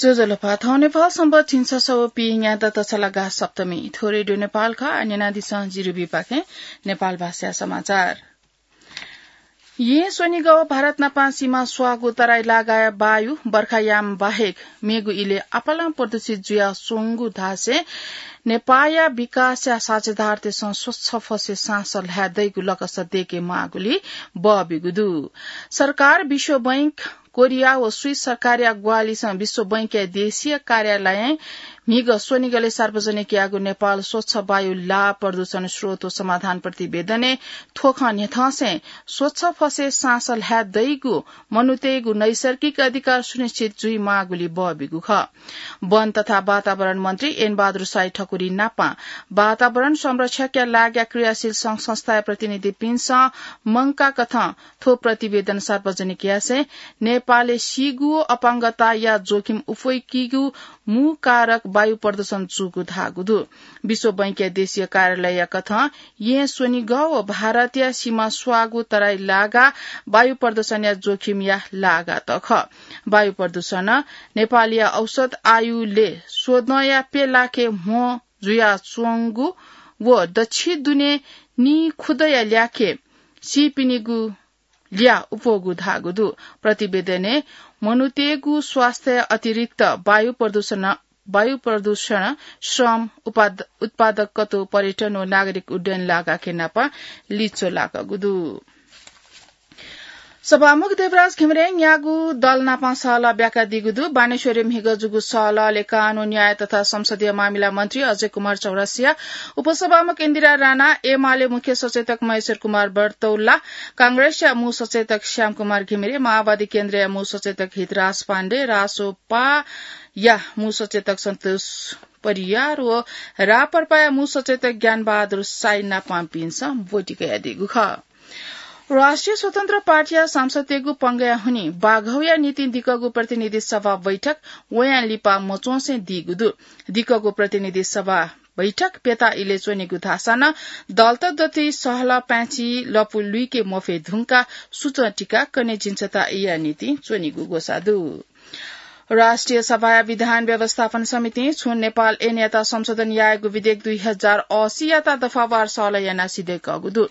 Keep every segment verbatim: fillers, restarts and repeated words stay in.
ज्वजलपा, थौं नेपाल संवत् झिंछसः व पीन्यादँ तछलागा सप्तमी। थ्व रेडियो नेपाल खः। आः न्यनादिसँ जिरुबीपाखें नेपाल भाषाया समाचार। येँ स्वनिगः व भारत नापं सीमा स्वाःगु तराई लागाया वायु बर्खायाम बाहेक मेगु इलय् आपालं प्रदूषित जुयाच्वंगु धासें नेपाःया विकासया साझेदारतय्सं स्वच्छ फसय् साँस ल्हाये दइगु लकस दय्के माःगुलिं बः ब्यूगु दु। सरकार, विश्व बैंक, कोरिया व स्वीस सरकारया ग्वाहालिसं विश्व बैंकया देशीय कार्यालयं म्हिगः स्वनिगलय् सार्वजनिक याःगु नेपाल स्वच्छ वायु लाः प्रदूषण स्रोत व समाधान प्रतिवेदनय् थ्व खँ न्ह्यथंसें स्वच्छ फसय् साँस ल्हाये दइगु मनूतय्गु नैसर्गिक अधिकार सुनिश्चित जुइमाःगुलिं बः ब्यूगु खः। वन तथा वातावरण मन्त्री एन बहादुर शाही ठकुरी नापं वातावरण संरक्षणया लागिया क्रियाशील संघ संस्थाया प्रतिनिधिपिन्सं मंकाकथं थ्व प्रतिवेदन सार्वजनिक यासें नेपालय् सीगु अपाङ्गताया जोखिम उफय्कीगु मू कारक वायु प्रदूषण जूगु धाःगु दु। विश्व बैंकया देशीय कार्यालयया कथं येँ स्वनिगः व भारतया सीमा स्वाःगु तराई लागा वायु प्रदूषणया जोखिमया लागा त खः। वायु प्रदूषणं नेपालया औसत आयुलय् स्वदँया प्यलाखे म्हो जुयाच्वंगु व दच्छि दुने निखुदँया ल्याखे सीपिनिगु ल्याः उप्वःगु धाःगु दु। प्रतिवेदनय् मनूतय्गु स्वास्थ्य अतिरिक्त वायु प्रदूषण, वायु प्रदूषण, श्रम, उपाद-, उत्पादकत्व, पर्यटन व नागरिक उड्डयन लागाखे नाप लिच्वः लाकःगु दु। सभामुख देवराज घिमिरें न्यागू दल नाप सहलह ब्याकादीगु दु। बानेश्वरय् म्हिगः जूगु सहलहलय् कानून, न्याय तथा संसदीय मामिला मन्त्री अजय कुमार चौरसिया, उपसभामुख इन्दिरा राणा, एमाले मुख्य सचेतक महेश्वर कुमार बर्तौला, कांग्रेसया मू सचेतक श्याम कुमार घिमिरे, माओवादी केन्द्रया मू सचेतक हितराज पाण्डे, रासोपाया मू सचेतक सन्तोष परियार व राप्रपाया मू सचेतक ज्ञानबहादुर शाही नापंपिन्सं ब्वति कयादीगु खः। राष्ट्रिय स्वतन्त्र पार्टीया सांसदतय्गु पंगय् हुनिं बाघौया निंतिं दिक्कगु प्रतिनिधि सभा बैठक वयां लिपा मच्वंसे दीगु दु। दिक्कगु प्रतिनिधि सभा बैठक प्यता इलय् च्वनीगु धाःसा नं दलत दथुइ सहलह पाय्छि लँपु लुइके मफये धुंकाः सुचं तिकाः कन्हय् झिंछता इया निंतिं च्वनीगु ग्वसाः दु। राष्ट्रिय सभाया विधान व्यवस्थापन समितिं छुं नेपाल ऐनयात संशोधन यायेगु विधेयक दुई हजार असीयात दफावार सहलह यानाः सिधय्कःगु दु।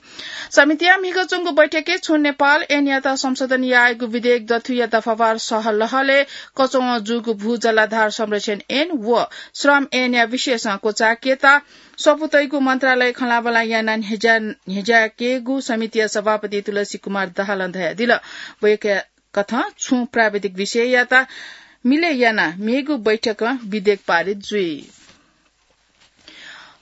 समितिया म्हिगः च्वंगु बैठकय् छुं नेपाल ऐनयात संशोधन यायेगु विधेयक दथुइया दफावार सहलहलय् कचवं जूगु भू जलाधार संरक्षण ऐन व श्रम ऐनया विषयसं क्वचाय्केत स्वपुतय्गु मन्त्रालय खँल्हाबल्हा यानाः न्ह्यज्या-, न्ह्यज्याकेगु समितिया सभापति तुलसी कुमार दाहालं धयादिल। वय्कःया कथं छुं प्राविधिक विषययात मिलय् यानाः मेगु बैठकं विधेयक पारित जुइ।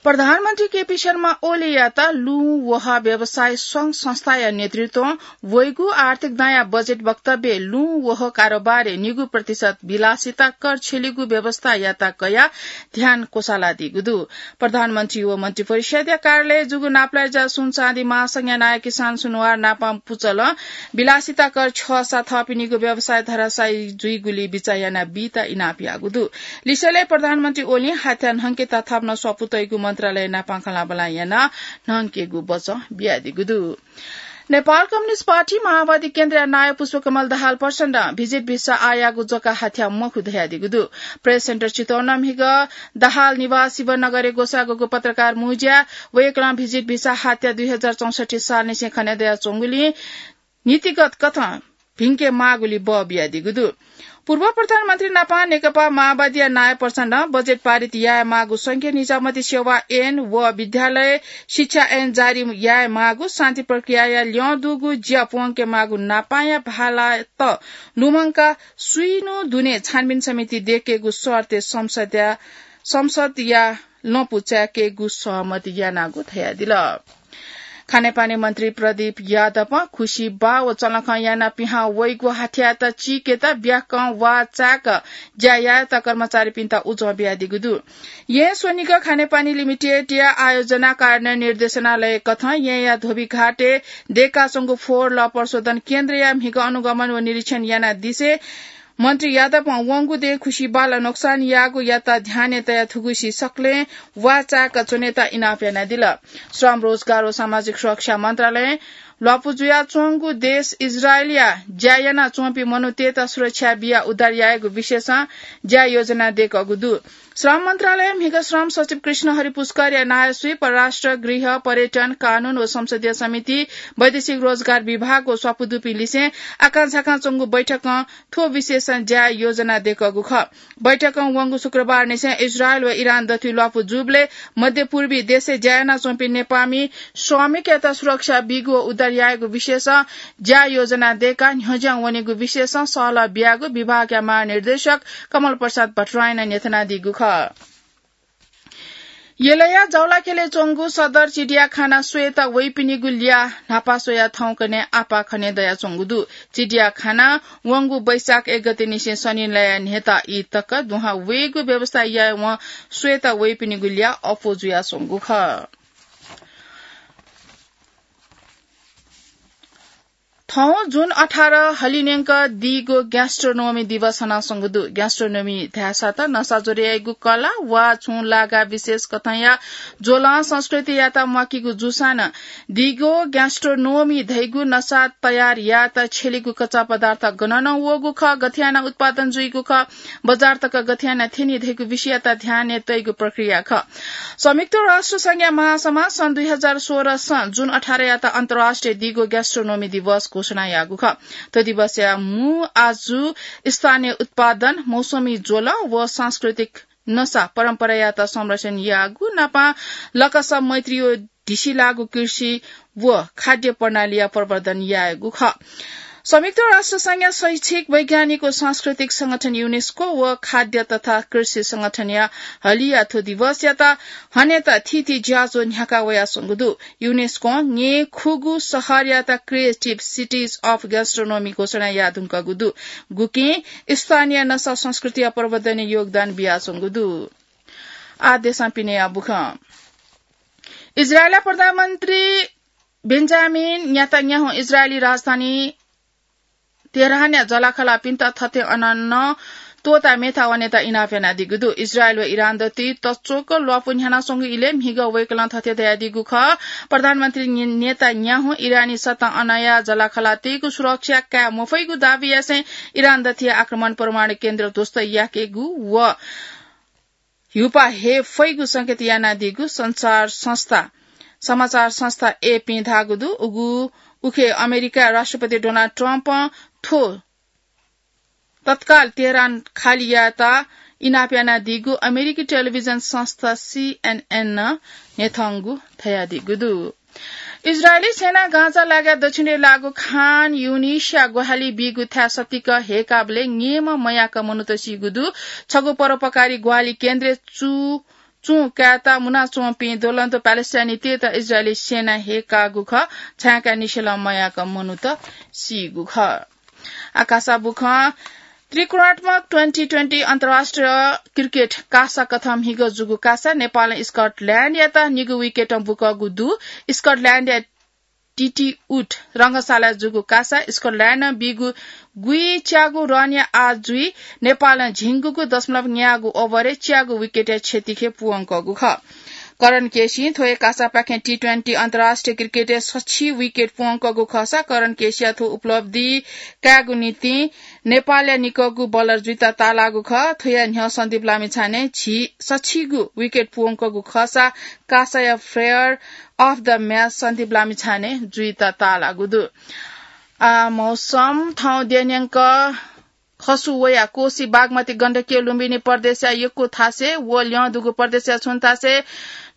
प्रधानमन्त्री केपी शर्मा ओलीयात लुँ वहः व्यवसाय संघ संस्थाया नेतृत्वं वइगु आर्थिक दांया बजेट वक्तव्यय् लुँ वहः कारोबारय् निगू प्रतिशत विलासिता कर छ्यलीगु व्यवस्था यात कयाः ध्यान क्वसालादीगु दु। प्रधानमन्त्री व मन्त्रिपरिषदया कार्यालयय् जूगु नापलाये ज्याः सुन चाँदी महासंघया नायः किसान सुनवार नापं पुचलं विलासिता कर छ्यःसा थःपिनिगु व्यवसाय धराशायी जुइगुलिं बिचाः यानाः बीत इनाप याःगु दु। लिसेलय् प्रधानमन्त्री ओलीं हाथ्या न्हंकेत थप नं स्वपुतय्गु मन्त्रालय नापं खँल्हाबल्हा यानाः न्हंकेगु बचं बियादीगु दु। नेपाल कम्युनिस्ट पार्टी माओवादी केन्द्रया नायः पुष्पकमल दाहाल प्रचण्डं भिजिट भिसा आःयागु जक हाथ्या मखु धयादीगु दु। प्रेस सेन्टर चितवनं म्हिगः दाहाल निवास शिवनगरय् ग्वसाःगु पत्रकार मुँज्याय् वय्कलं भिजिट भिसा हाथ्या दुई हजार चौसट्ठी सालनिसें खने दयाच्वंगुलिं नीतिगत कथं भिंके माःगुलिं बः बियादीगु दु। पूर्व प्रधानमन्त्री नापं नेकपा माओवादीया नायः प्रचण्डं बजेट पारित याये माःगु संघीय निजामती सेवा ऐन व विद्यालय शिक्षा ऐन जारी याये माःगु, शान्ति प्रक्रियाया ल्यं दुगु ज्या प्वंके माःगु नापंया भालात लुमंकाः स्वीन्हु दुने छानबिन समिति दयेकेगु शर्तय् संसदया, संसदया लँपु चाय्केगु सहमति यानागु धयादिल। खानेपानी मन्त्री प्रदीप यादवं खुसी बाः व चलंखं यानाः पिहां वइगु हाथ्यायात चीकेत ब्याकं वा चाय्क ज्या यायेत कर्मचारीपिन्त उजं बियादीगु दु। येँ स्वनिगः खानेपानी लिमिटेडया आयोजना कार्यान्वयन निर्देशनालय कथं येँया धोबीघाटय् दयेकाच्वंगु फोहोर लः प्रशोधन केन्द्रया म्हिगः अनुगमन व निरीक्षण यानादिसें मन्त्री यादवं वंगु दँय् खुसी बालं नोक्सान याःगुयात ध्यानय् तयाः थुगुसी सकलें वा चाय्क च्वनेत इनाप यानादिल। श्रम, रोजगार व सामाजिक सुरक्षा मन्त्रालयं ल्वापु जुयाच्वंगु देश इजरायलया ज्या यानाच्वंपिं मनूतय्त सुरक्षा बियाः उद्धार यायेगु विषयसं ज्या योजना दय्कःगु दु। श्रम मन्त्रालयया म्हिगः श्रम सचिव कृष्ण हरि पुष्करया नायःसुइ परराष्ट्र, गृह, पर्यटन, कानून व संसदीय समिति, वैदेशिक रोजगार विभाग व स्वापू दुपिं लिसें आकांझाकां च्वंगु बैठकं थ्व विषयसं ज्या योजना दय्कःगु खः। बैठकं वंगु शुक्रबारनिसें इजरायल व इरान दथुइ ल्वापु जूबलय् मध्यपूर्वी देशय् ज्या यानाच्वंपिं नेपाःमि श्रमिकयात सुरक्षा बीगु व उद्धार यायेगु विषयसं ज्या योजना दय्काः न्ह्यज्यां वनेगु विषयसं सहलह बियागु विभागया महानिर्देशक कमल प्रसाद भट्टराईं न्ह्यथनादीगु खः। यलया जौलाखेलय् च्वंगु सदर चिडियाखाना स्वयेत वइपिनिगु ल्याः न्हापा स्वयाः थौंकन्हय् आपाः खनेदयाच्वंगु दु। चिडियाखानां वंगु वैशाख एक गतेनिसें शनिलया न्हय्ता ई तक दुहां वयेगु व्यवस्था यायेवं स्वयेत वइपिनिगु ल्याः अप्वः जुयाच्वंगु खः। थौं जुन अठार हलिंन्यंक दिगो gastronomy दिवस हनाच्वंगु दु। Gastronomy धाःसा त नसा ज्वर याइगु कला वा छुं लागा विशेष कथंया ज्वलं संस्कृतियात म्वाकीगु जूसां नं दिगो gastronomy धइगु नसा तयार यायेत छ्यलीगु कच्चा पदार्थ गनं नं वःगु खः, गथे यानाः उत्पादन जुइगु खः, बजार तक गथे यानाः थ्यनी धइगु विषययात ध्यानय् तइगु प्रक्रिया खः। संयुक्त राष्ट्र संघया महासभा सन् दुई हजार सोह्र सं जुन अठारयात अन्तर्राष्ट्रिय दिगो gastronomy दिवस घोषणा याःगु खः। थ्व दिवसया मू आजु स्थानीय उत्पादन, मौसमी ज्वलं व सांस्कृतिक नसा परम्परायात संरक्षण याःगु नापं लकस मैत्री व ढिसिलाःगु कृषि व खाद्य प्रणालीया प्रवर्धन यायेगु खः। संयुक्त राष्ट्र संघया शैक्षिक, वैज्ञानिक व सांस्कृतिक संगठन UNESCO व खाद्य तथा कृषि संगठनया हलिया थ्व दिवसयात हनेत थीथी ज्याझ्वः न्ह्याका वयाच्वंगु दु। UNESCO ङेखुगु शहरयात Creative Cities of Gastronomy घोषणा याये धुंकूगु दु, गुकिं स्थानीय नसा संस्कृतिया प्रवर्धनय् योगदान बियाच्वंगु दु। आः देशं पिनेया बुखँ। इजरायलया प्रधानमन्त्री बेन्जामिन नेतान्याहु इजरायली राजधानी तेहरानया जःलाखःलापिन्त थथे अन नं त्वःता मेथा वनेत इनाप यानादीगु दु। इजरायल व इरान दथुइ तच्वक ल्वापु न्ह्यानाच्वंगु इलय् म्हिगः वय्कलं थथे धयादीगु खः, प्रधानमन्त्री ने-, नेतान्याहु इरानी सत्तां अनया जःलाखःलातय्गु सुरक्षा काये मफइगु दाबी यासें इरान दथुइ आक्रमण, परमाणु केन्द्र ध्वस्त याकेगु व ह्युपा हये फइगु संकेत यानादीगु संचार संस्था, समाचार संस्था एपीं धाःगु दु। उगु उखे अमेरिका राष्ट्रपति डोनाल्ड ट्रम्पं थ्व तत्काल तेहरान खाली यायेत इनाप यानादीगु अमेरिकी टेलिभिजन संस्था सीएनएन नं न्ह्यथंगु धयादीगु दु। इजरायली सेनां गाजा लागाय् दक्षिणय् लाःगु खान युनिसया ग्वाहालि बीगु थाय् सतिक हय्काबलय् न्येम्ह मयाक मनूत सीगु दु। छगू परोपकारी ग्वाहालि केन्द्रय् चु-, चुं कायेत मुनाच्वंपिं ज्वलन्त प्यालेस्टाइनीतय्त इजरायली सेनां हय्काःगु खः। छाय्कानिसें नं मयाक मनूत सीगु खः। आकाशय् बुखँ। त्रिकोणात्मक ट्वेन्टी ट्वेन्टी अन्तर्राष्ट्रिय क्रिकेट कासा कथं म्हिगः जूगु कासा नेपालं स्कटल्याण्डयात निगू विकेटं बुकःगु दु। स्कटल्याण्डया टिटिउट रंगशालाय् जूगु कासा स्कटल्याण्डं बीगु गुइच्यागू रनया आः जुइ नेपालं झिंगुगु दशमलव न्यागू ओभरय् च्यागू विकेटया क्षतिखे पूवंकःगु खः। करण केसीं थ्व हे कासापाखें टी ट्वेन्टी अन्तर्राष्ट्रिय क्रिकेटय् सछि विकेट पूवंकःगु खःसा करण केसीया थ्व उपलब्धि कायेगु निंतिं नेपालया निकःगु बलर जुइत ताःलाःगु खः। थ्वया न्ह्यः सन्दीप लामिछाने झी सछिगू विकेट पूवंकःगु खःसा कासाया player of the match Sandeep Lamichhane जुइत ताःलाःगु दु। आ, मौसम। थौं देय् न्यंक खसु वयाः कोशी बागमती गण्डकी लुम्बिनी प्रदेशया यक्व थासय् व ल्यं दुगु प्रदेशया छुं थासय्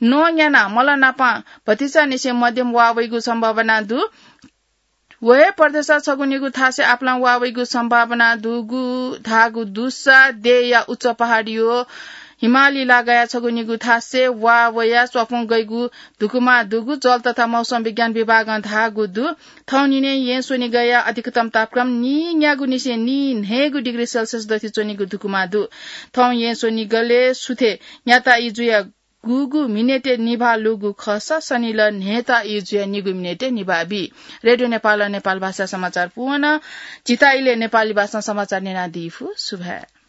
नः न्यानाः मल नापं भतिचानिसें मध्यम वा वइगु सम्भावना दु। व हे प्रदेशया छगू निगू थासय् आपालं वा वइगु सम्भावना दुगु धाःगु दुसा देय्‌या उच्च पहाडी व हिमाली लागाया छगू निगू थासय् वा वयाः स्वापुं गइगु धुकुमा दुगु जल तथा मौसम विज्ञान विभागं धाःगु दु। थौं निन्हय् येँ स्वनिगःया अधिकतम तापक्रम नीन्यागू निसें नीन्हय्गू डिग्री सेल्सियस दथुइ च्वनीगु धुकुमा दु। थौं येँ स्वनिगलय् सुथय् न्याता ई जुया गुगु मिनेटय् निभाः लूगु खःसा सनिलः न्हय्ता ई जुया निगू मिनेटय् निभाः बी। रेडियो नेपालं नेपाल भाषा समाचार पूवन। झीत इलय् नेपाली भाषां समाचार न्यनादी फु। सुभाय्।